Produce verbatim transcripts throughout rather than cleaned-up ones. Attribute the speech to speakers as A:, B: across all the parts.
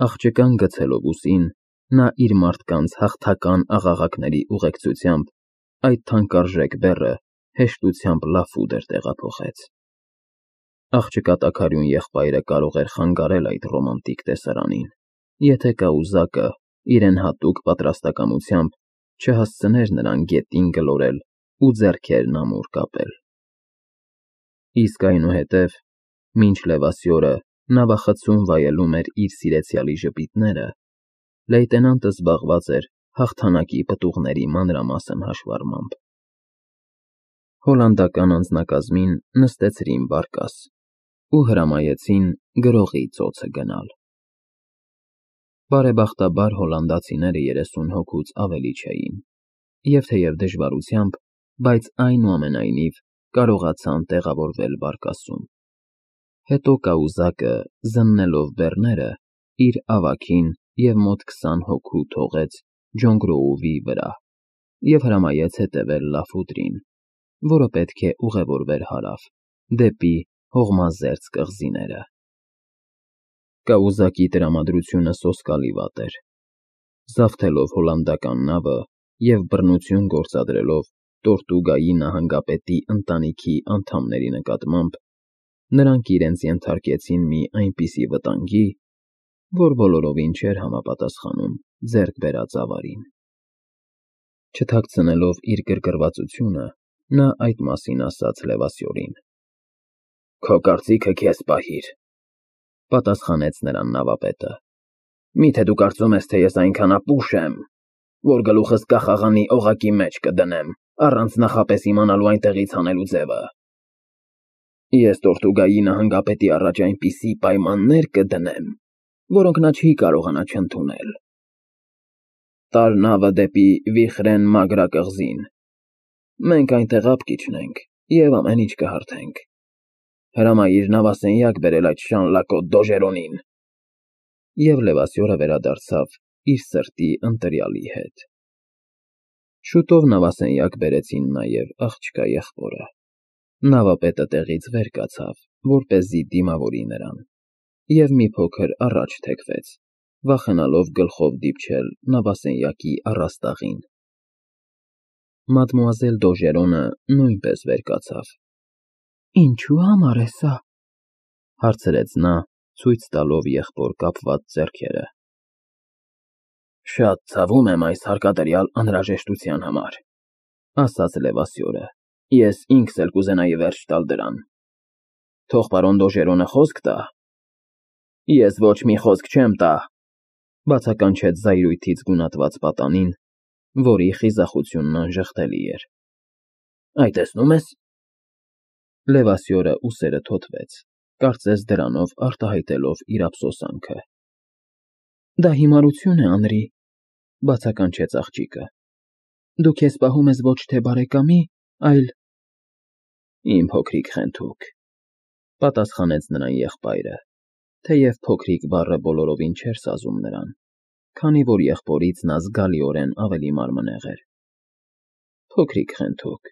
A: Աղջկան գցելով ուսին, նա իր մարդկանց հաղթական աղաղակների ուղեկցությամբ այդ թանկարժեք բեռը հեշտությամբ լաֆուտ էր տեղափոխեց։ Աղջկա տաքարյուն եղբայրը կարող էր խանգարել այդ ռոմանտիկ տեսարանին, եթե կայուզակը իրեն հատուկ պատրաստակամությամբ չհասցներ նրան գետին գլորել ու ձեռքերն ամուր կապել։ Իսկ այնուհետև, մինչ Լևասյորը նավախցում վայելում էր իր սիրեցյալի ժպիտները, լեյտենանտը զբաղված էր հաղթանակի պտուղների մանրամասն հաշվառմամբ։ Հոլանդական անձնակազմին նստեցրին բարկաս ու հրամայեցին գրողի ծոցը գնալ։ Բարեբախտաբար հոլանդացիները երեսուն հոգուց ավելի չէին, և թեև դժվարությամբ, բայց այնուամենայնիվ կարողացան տեղավորվել բարկասում։ Հետո կայուզակը, զննելով բեռները, իր ավագին և մոտ քսան հոգու թողեց Ջոն Գրոուվի վրա և հրամայեց հետևել լաֆուտրին, որը պետք է ուղևորվեր հարավ, դեպի հողմազերծ կղզիները։ Կայուզակի տրամադրությունը սոսկալի վատ էր։ Զավթելով հոլանդական նավը և բռնություն գործադրելով Տորտուգայի նահանգապետի ընտանիքի անդամների նկատմամբ, նրանք իրենց ենթարկեցին մի այնպիսի վտանգի, որ բոլորովին չէր համապատասխանում ձեռք բերած ավարին։ Չթաքցնելով իր գրգռվածությունը, նա այդ մասին ասաց Լևասյորին։ ֊ Քո կարծիքը քեզ պահիր,֊ պատասխանեց նրան նավապետը։ ֊ Մի՞թե դու կարծում ես, թե ես այնքան ապուշ եմ, որ գլուխս կախաղանի օղակի մեջ կդնեմ, առանց նախապես իմանալու այնտեղից հանելու ձևը։ Ես Տորտուգայի նահանգապետի առաջ այնպիսի պայմաններ կդնեմ, որոնք նա չի կարողանա չընդունել։ Տարր նավը դեպի Վիխրեն մագրակղզին, մենք այնտեղ ափ կիջնենք և ամեն ինչ կհարթենք։ Հրամայիր նավասենյակ բերել այդ շանլակոտ Դոժերոնին։ Եվ Լևասյորը վերադարձավ իր սրտի ընտրյալի հետ։ Շուտով նավասենյակ բերեցին նաև աղջկա եղբորը։ Նավապետը տեղից վեր կացավ, որպեսզի դիմավորի նրան, և մի փոքր առաջ թեքվեց, վախենալով գլխով դիպչել նավասենյակի առաստաղին։ Մադմուազել Դոժերոնը նույնպես վեր կացավ։ ֊ Ինչու համար է սա,֊ հարցրեց նա, ցույց տալով եղբոր կապված ձեռքերը։ ֊ Շատ ցավում եմ այս հարկադրյալ անհրաժեշտության համար,֊ ասաց Լևասյորը,֊ ես ինքս էլ կուզենայի վերջ տալ դրան։ Թող պարոն Դոժերոնը խոսք տա։ ֊ Ես ոչ մի խոսք չեմ տա,֊ բացականչեց զայրույթից գունատված պատանին, որի խիզախությունն անժխտելի էր։ ֊ Այ տեսնո՞ւմ ես։ Լևասյորը ուսերը թոթվեց, կարծես դրանով արտահայտելով իր ափսոսանքը։ ֊ Դա հիմարություն է, Անրի,֊ բացականչեց աղջիկը։ Դու քեզ պահում ես ոչ թե բարեկամի, այլ… Իմ փոքրիկ խենթուկ,֊ պատասխանեց նրան եղբայրը, թեև փոքրիկ բառը բոլորովին չէր սազում նրան, քանի որ եղբորից նա զգալիորեն ավելի մարմնեղ էր։ Փոքրիկ խենթուկ,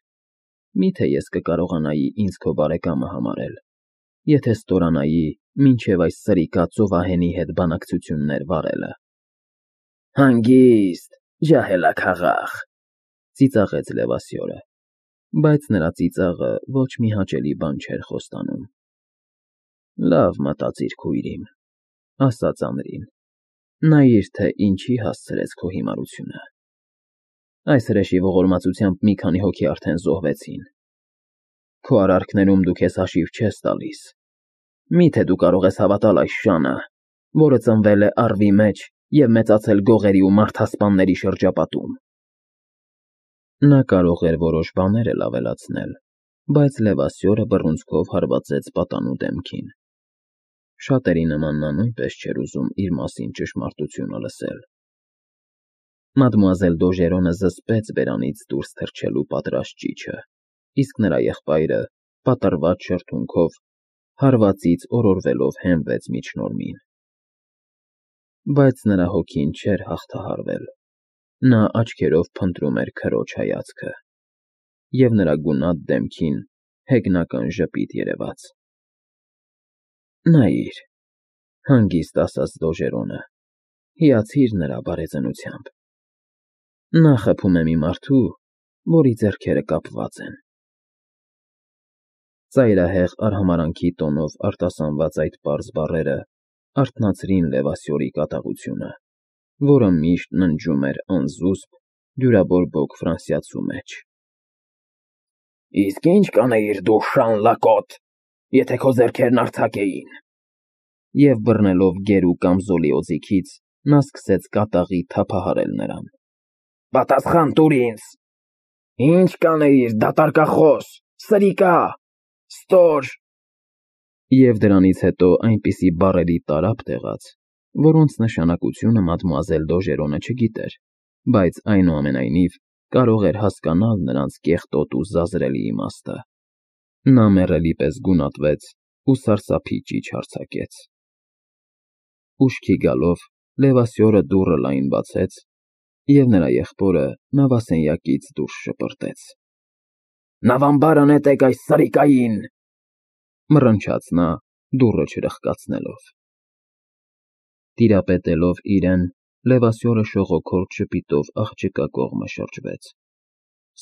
A: մի՞թե ես կկարողանայի ինձ քո բարեկամը համարել, եթե ստորանայի մինչև այս սրիկա ծովահենի հետ բանակցություններ վարելը։ ֊ Հանգիստ, ջահելաքաղաք,֊ ծիծաղեց Լևասյորը, բայց նրա ծիծաղը ոչ մի հաճելի բան չէր խոստանում։ ֊ Լավ մտածիր, քույրիմ,֊ ասաց Անրին,֊ նայիր, թե ինչի հասցրեց քո հիմարությունը։ Այս հրեշի ողորմածությամբ մի քանի հոգի արդեն զոհվեցին։ Քո արարքներում դու քեզ հաշիվ չես տալիս։ Մի՞թե դու կարող ես հավատալ այս շանը, որը ծնվել է առվի մեջ և մեծացել գողերի ու մարդասպանների շրջապատում։ Նա կարող էր որոշ բաներ էլ ավելացնել, բայց Լևասյորը բռունցքով հարվածեց պատանու դեմքին։ Շատերի նման նա նույնպես չէր ուզում իր մասին ճշմարտությունը լսել։ Մադմուազել Դոժերոնը զսպեց բերանից դուրս թռչելու պատրաստ ճիչը, իսկ նրա եղբայրը, պատռված շրթունքով, հարվածից օրորվելով հենվեց միջնորմին։ Բայց նրա հոգին չէր հաղթահարվել, նա աչքերով փնտրում էր քրոջ հայացքը, և նրա գունատ դեմքին հեգնական ժպիտ երևաց։ ֊ Նայիր,֊ հանգիստ ասաց Դոժերոնը, Հիացիր նրա բարեծնությամբ։ Նա խփում է մի մարդու, որի ձեռքերը կապված են։ Ծայրահեղ արհամարանքի տոնով արտասանված այդ պարզ բառերը արթնացրին Լևասյորի կատաղությունը, որը միշտ ննջում էր անզուսպ, դյուրաբորբոք ֆրանսիացու մեջ։ Իսկ ի՞նչ կանեիր դու, Շան Լակոտ, եթե քո ձեռքերն արձակ էին։ Եվ բռնելով գեր ու կամզոլի օձիքից, նա սկսեց կատաղի թափահարել նրան։ Պատասխան տուր ինձ։ Ի՞նչ կանեիր, դատարկախոս, սրիկա, ստոր։ Եվ դրանից հետո այնպիսի բառերի տարափ տեղաց, որոնց նշանակությունը մադմուազել Դոժերոնը չգիտեր, բայց այնուամենայնիվ կարող էր հասկանալ նրանց կեղտոտ ու զազրելի իմաստը։ Նա մեռելի պես գունատվեց ու սարսափի ճիչ արձակեց։ Ուշքի գալով Լևասյորը դուռը լայն բացեց, և նրա եղբորը նավասենյակից դուրս շպրտեց։ Նավամբարը նետեք այս սրիկային, մռնչաց նա, դուռը չրխկացնելով։ Տիրապետելով իրեն, Լևասյորը շողոքորթ ժպիտով աղջկա կողմը շրջվեց,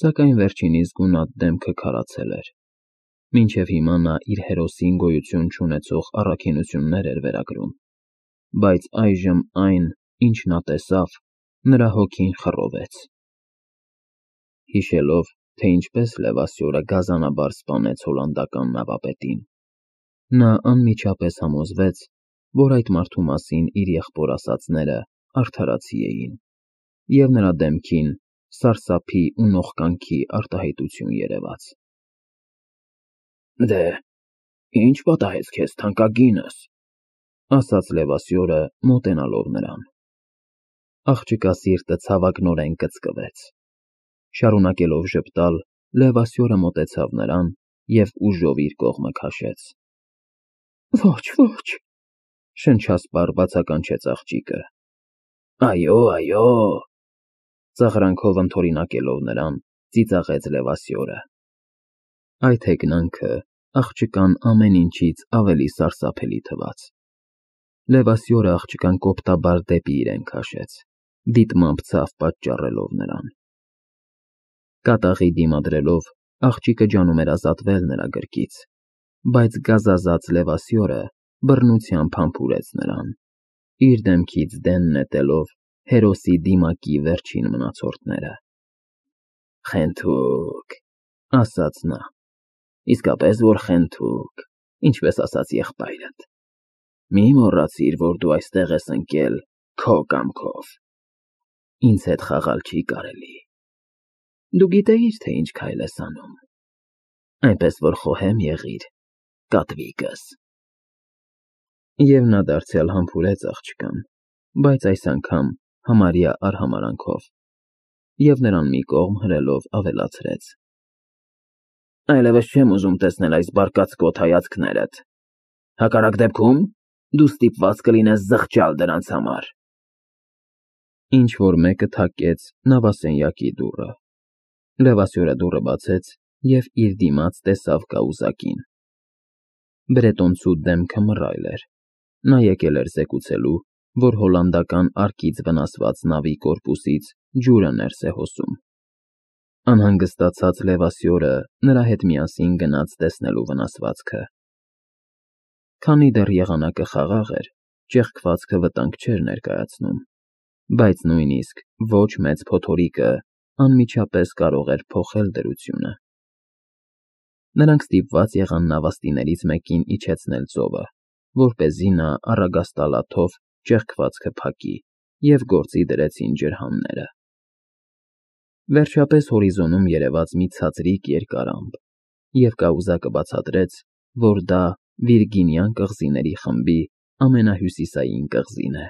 A: սակայն վերջինիս գունատ դեմքը քարացել էր։ Մինչև հիմա նա իր հերոսին գոյություն չունեցող առաքինություններ էր վերագրում, բայց այժմ այն, ինչ նա տեսավ, նրա հոգին խռովեց։ Հիշելով, թե ինչպես Լևասյորը գազանաբար սպանեց հոլանդական նավապետին, նա անմիջապես համոզվեց, որ այդ մարդու մասին իր եղբոր ասածները արդարացի էին, և նրա դեմքին սարսափի ու նողկանքի արտահայտություն երևաց։ Դե, ի՞նչ պատահեց քեզ, թանկագինս, ասաց Լևասյորը, մոտենալով նրան։ Աղջկա սիրտը ցավագնորեն կծկվեց։ Շարունակելով ժպտալ, Լևասյորը մոտեցավ նրան և ուժով իր կողմը քաշեց։ Ոչ, ոչ, շնչասպառ բացականչեց աղջիկը։ Այո, այո, ծաղրանքով ընդօրինակելով նրան, ծիծաղեց Լևասյորը։ Այդ հեգնանքը աղջկան ամեն ինչից ավելի սարսափելի թվաց։ Լևասյորը աղջկան կոպտաբար դեպի իրեն քաշեց, դիտմամբ ցավ պատճառելով նրան։ Կատաղի դիմադրելով, աղջիկը ջանում էր ազատվել նրա գրկից, բայց գազազած Լևասյորը բռնությամբ համբուրեց նրան, իր դեմքից դեն նետելով հերոսի դիմակի վերջին մնացորդները։ Խենթուկ, ասաց նա, իսկապես որ խենթուկ, ինչպես ասաց եղբայրդ։ Մի մոռացիր, որ դու այստեղ ես ընկել քո կամքով։ Ինձ հետ խաղալ չի կարելի։ Դու գիտեիր, թե ինչ քայլ ես անում, այնպես որ խոհեմ եղիր, կատվիկս։ Եվ նա դարձյալ համբուրեց աղջկան, բայց այս անգամ համարյա արհամարանքով, և նրան մի կողմ հրելով ավելացրեց. Այլևս չեմ ուզում տեսնել այս բարկացկոտ հայացքներդ, հակառակ դեպքում դու ստիպված կլինես զղջալ դրանց համար։ Ինչ-որ մեկը թակեց նավասենյակի դուռը։ Լևասյորը դուռը բացեց և իր դիմաց տեսավ կայուզակին։ Բրետոնցու դեմքը մռայլ էր։ Նա եկել էր զեկուցելու, որ հոլանդական արկից վնասված նավի կորպուսից ջուրը ներս է հոսում։ Անհանգստացած Լևասյորը նրա հետ միասին գնաց տեսնելու վնասվածքը։ Քանի դեռ եղանակը խաղաղ էր, ճեղքվածքը վտանգ չէր ներկայացնում, բայց նույնիսկ ոչ մեծ փոթորիկը անմիջապես կարող էր փոխել դրությունը։ Նրանք ստիպված եղան նավաստիներից մեկին իջեցնել ծովը, որպեսզի նա առագաստալաթով ճեղքվածքը փակի, և գործի դրեցին ջրհանները։ Վերջապես հորիզոնում երևաց մի ցածրիկ երկար ամպ, և կայուզակը բացատրեց, որ դա Վիրգինյան կղզիների խմբի ամենահյուսիսային կղզին է։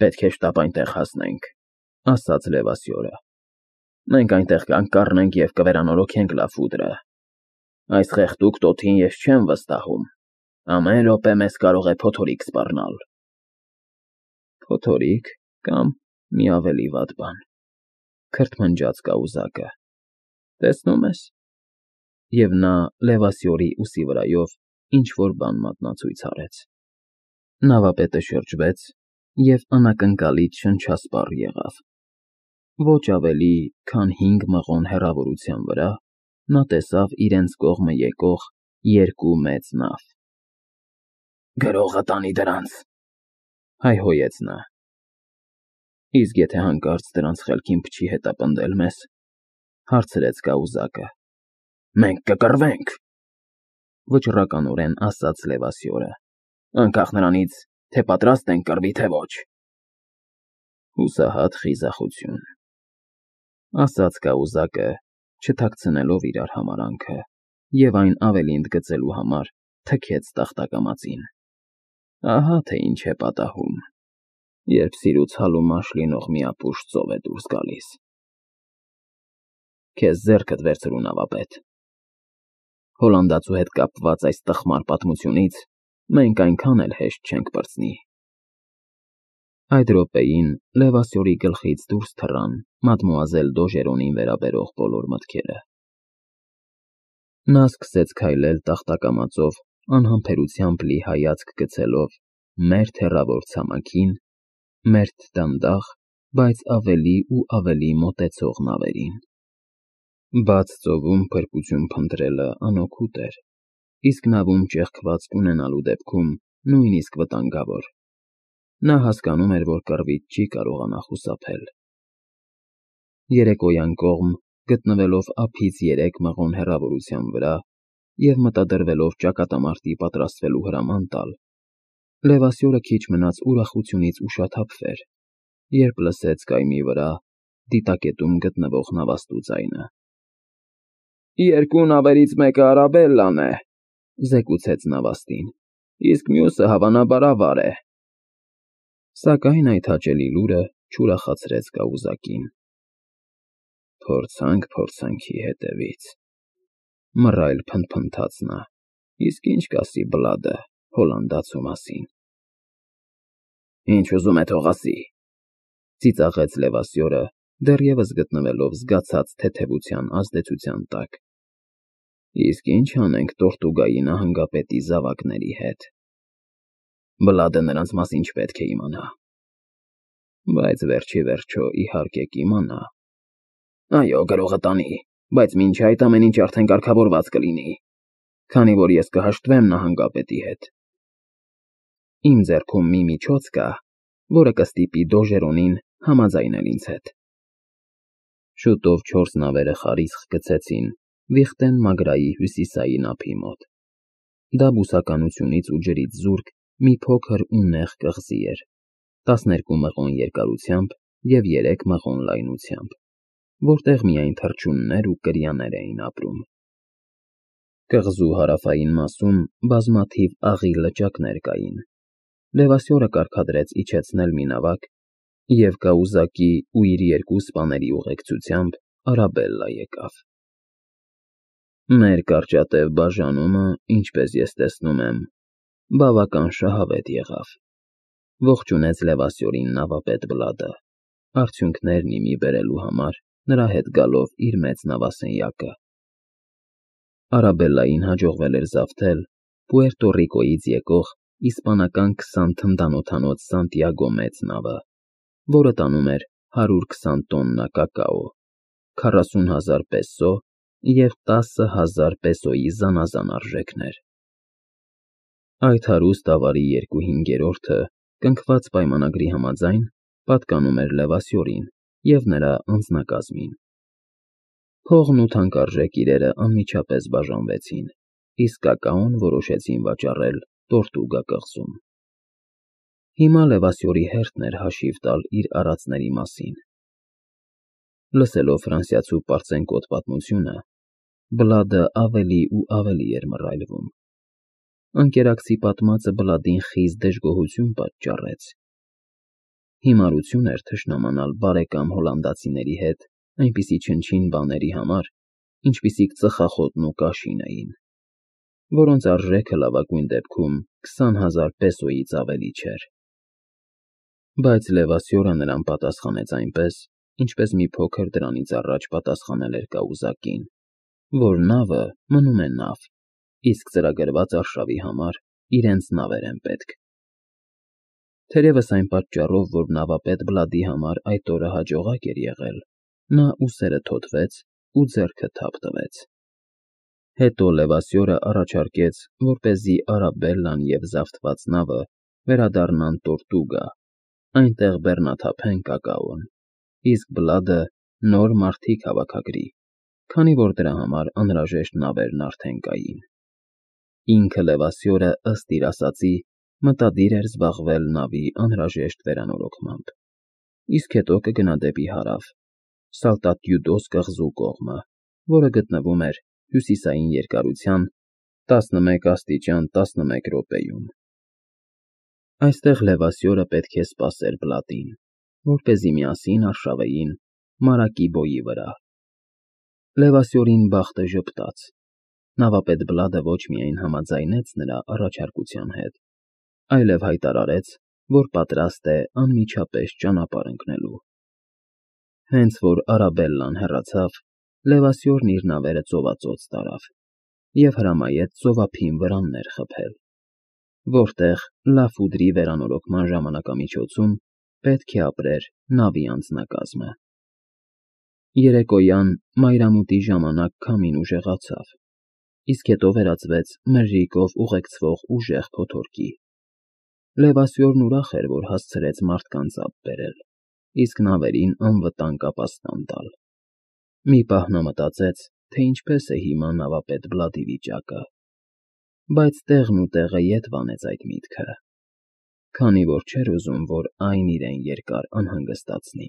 A: Պետք է շտապ այնտեղ հասնենք, ասաց Լևասյորը։ Մենք այնտեղ կանկառնենք և կվերանորոգենք լաֆուդրը։ Այս խեղդուկ տոթին ես չեմ վստահում, ամեն րոպե մեզ կարող է փոթորիկ սպառնալ։ Փոթորիկ կամ մի ավելի վատ բան, քրթմնջաց կայուզակը, տեսնում ես։ Եվ նա Լևասյորի ուսի վրայով ինչ-որ բան մատնացույց արեց։ Նավապետը շրջվեց և անակնկալից շնչասպառ եղավ։ Ոչ ավելի, քան հինգ մղոն հեռավորության վրա նա տեսավ իրենց կողմը եկող երկու մեծ նավ։ ֊ Գրողը տանի դրանց,֊ հայհոյեց նա։ ֊ Իսկ եթե հանկարծ դրանց խելքին փչի հետապնդել մեզ,֊ հարցրեց կայուզակը։ ֊ Մենք կկռվենք,֊ վճռականորեն ասաց Լևասյորը,֊ անկախ նրանից, թե պատրաստ ենք կռվի, թե ոչ։ ֊ Հուսահատ խիզախություն,֊ ասաց կայուզակը, չթաքցնելով իրար համարանքը, և այն ավելի ընդգծելու համար թքեց տախտակամածին։ Ահա թե ինչ է պատահում, երբ սիրուց հալումաշ լինող մի ապուշ ծով է դուրս գալիս։ Քեզ ձեռքդ վերցրու, նավապետ… Հոլանդացու հետ կապված այս տխմար պատմությունից մենք այնքան էլ հեշտ չենք պրծնի… Այդ րոպեին Լևասյորի գլխից դուրս թռան մադմուազել Դոժերոնին վերաբերող բոլոր մտքերը։ Նա սկսեց քայլել տախտակամածով անհամբերությամբ լի հայացք գցելով մերթ հեռավոր ցամաքին, մերթ դանդաղ, բայց ավելի ու ավելի մոտեցող նավերին։ Բաց ծովում փրկություն փնտրելը անօգուտ էր, իսկ նավում ճեղքվածք ունենալու դեպքում նույնիսկ վտանգավոր։ Նա հասկանում էր, որ կռվից չի կարողանա խուսափել։ Երեկոյան կողմ, գտնվելով ափից երեք մղոն հեռավորության վրա և մտադրվելով ճակատամարտի պատրաստվելու հրաման տալ, Լևասյորը քիչ մնաց ուրախությունից ուշաթափվեր, երբ լսեց կայմի վրա դիտակետում գտնվող նավաստու ձայնը։ ֊ Երկու նավերից մեկը Արաբելլան է,֊ զեկուցեց նավաստին,֊ իսկ մյուսը, հավանաբար, ավար է։ Սակայն այդ հաճելի լուրը չուրախացրեց կայուզակին։ «Փորձանք փորձանքի հետևից,֊ մռայլ փնթփնթաց նա,֊ իսկ ինչ կասի Բլադը հոլանդացու մասին»։ «Ինչ ուզում է, թող ասի,֊ ծիծաղեց Լևասյորը, դեռևս գտնվելով զգացած թեթևության ազդեցության տակ,֊ իսկ ինչ անենք Տորտուգայի նահանգապետի զավակների հետ։ Բլադը նրանց մասին չպետք է իմանա։ Բայց վերջ ի վերջո, իհարկե, կիմանա։ Այո, գրողը տանի, բայց մինչ այդ ամեն ինչ արդեն կարգավորված կլինի, քանի որ ես կհաշտվեմ նահանգապետի հետ։ Իմ ձեռքում մի միջոց կա, որը կստիպի Դոժերոնին համաձայնել ինձ հետ»։ Շուտով չորս նավերը խարիսխ գցեցին Վիխտեն Մագրայի հյուսիսային ափի մոտ։ Դա բուսականությունից ու ջրից զուրկ մի փոքր ու նեղ կղզի էր, տասներկու մղոն երկարությամբ և երեք մղոն լայնությամբ, որտեղ միայն թռչուններ ու կրյաներ էին ապրում։ Կղզու հարավային մասում բազմաթիվ աղի լճակներ կային։ Լևասյորը կարգադրեց իջեցնել մի նավակ, և կայուզակի ու իր երկու սպաների ուղեկցությամբ Արաբելլա եկավ։ Մեր կարճատև բաժանումը, ինչպես ես տեսնում եմ, բավական շահավետ եղավ,֊ ողջունեց Լևասյորին նավապետ Բլադը, արդյունքներն ի մի բերելու համար նրա հետ գալով իր մեծ նավասենյակը։ Արաբելլային հաջողվել էր զավթել Պուերտո Ռիկոյից եկող իսպանական քսան թնդանոթանոց Սանտիագո մեծ նավը, որը տանում էր հարյուր քսան տոննա կակաո, քառասուն հազար պեսո և տասը հազար պեսոյի զանազան արժեքներ։ Այդ հարուստ ավարի երկու հինգերորդը, կնքված պայմանագրի համաձայն, պատկանում էր Լևասյորին և նրա անձնակազմին։ Փողն ու թանկարժեք իրերը անմիջապես բաժանվեցին, իսկ կակաոն որոշեցին վաճառել Տորտուգա կղզում։ Հիմա Լևասյորի հերթն էր հաշիվ տալ իր արածների մասին։ Լսելով ֆրանսիացու պարծենկոտ պատմությունը, Բլադը ավելի ու ավելի էր մռայլվում։ Ընկերակցի պատմածը Բլադին խիստ դժգոհություն պատճառեց։ Հիմարություն էր թշնամանալ բարեկամ հոլանդացիների հետ այնպիսի չնչին բաների համար, ինչպիսիք ծխախոտն ու կաշին էին, որոնց արժեքը լավագույն դեպքում քսան հազար պեսոյից ավելի չէր։ Բայց Լևասյորը նրան պատասխանեց այնպես, ինչպես մի փոքր դրանից առաջ պատասխանել էր կայուզակին, որ նավը մնում է նավ, իսկ ծրագրված արշավի համար իրենց նավեր են պետք։ Թերևս այն պատճառով, որ նավապետ Բլադի համար այդ օրը հաջողակ էր եղել, նա ուսերը թոթվեց ու ձեռքը թափ տվեց։ Հետո Լևասյորը առաջարկեց, որպեսզի Արաբելլան և զավթված նավը վերադառնան Տորտուգա, այնտեղ բեռնաթափեն կակաոն, իսկ Բլադը նոր մարդիկ հավաքագրի, քանի որ դրա համար անհրաժեշտ նավերն արդեն կային։ Ինքը Լևասյորը, ըստ իր ասածի, մտադիր էր զբաղվել նավի անհրաժեշտ վերանորոգմամբ, իսկ հետո կգնա դեպի հարավ, Սալտատյուդոս կղզու կողմը, որը գտնվում էր հյուսիսային երկարության տասնմեկ աստիճան տասնմեկ րոպեում։ Այստեղ Լևասյորը պետք է սպասեր Բլադին, որպեսզի միասին արշավեին Մարակիբոյի վրա։ Լևասյորին բախտը ժպտաց. նավապետ Բլադը ոչ միայն համաձայնեց նրա առաջարկության հետ, այլև հայտարարեց, որ պատրաստ է անմիջապես ճանապարհ ընկնելու։ Հենց որ Արաբելլան հեռացավ, Լևասյորն իր նավերը ծովածոց տարավ և հրամայեց ծովափին վրաններ խփել, որտեղ Լաֆուդրի վերանորոգման ժամանակամիջոցում պետք է ապրեր նավի անձնակազմը։ Երեկոյան մայրամուտի ժամանակ քամին ուժեղացավ, իսկ հետո վերածվեց մրրիկով ուղեկցվող ուժեղ փոթորկի։ Լևասյորն ուրախ էր, որ հասցրեց մարդկանց ափ բերել, իսկ նավերին անվտանգ ապաստան տալ։ Մի պահ նա մտածեց, թե ինչպես է հիմա նավապետ Բլադի վիճակը, բայց տեղն ու տեղը ետ վանեց այդ միտքը, քանի որ չէր ուզում, որ այն իրեն երկար անհանգստացնի։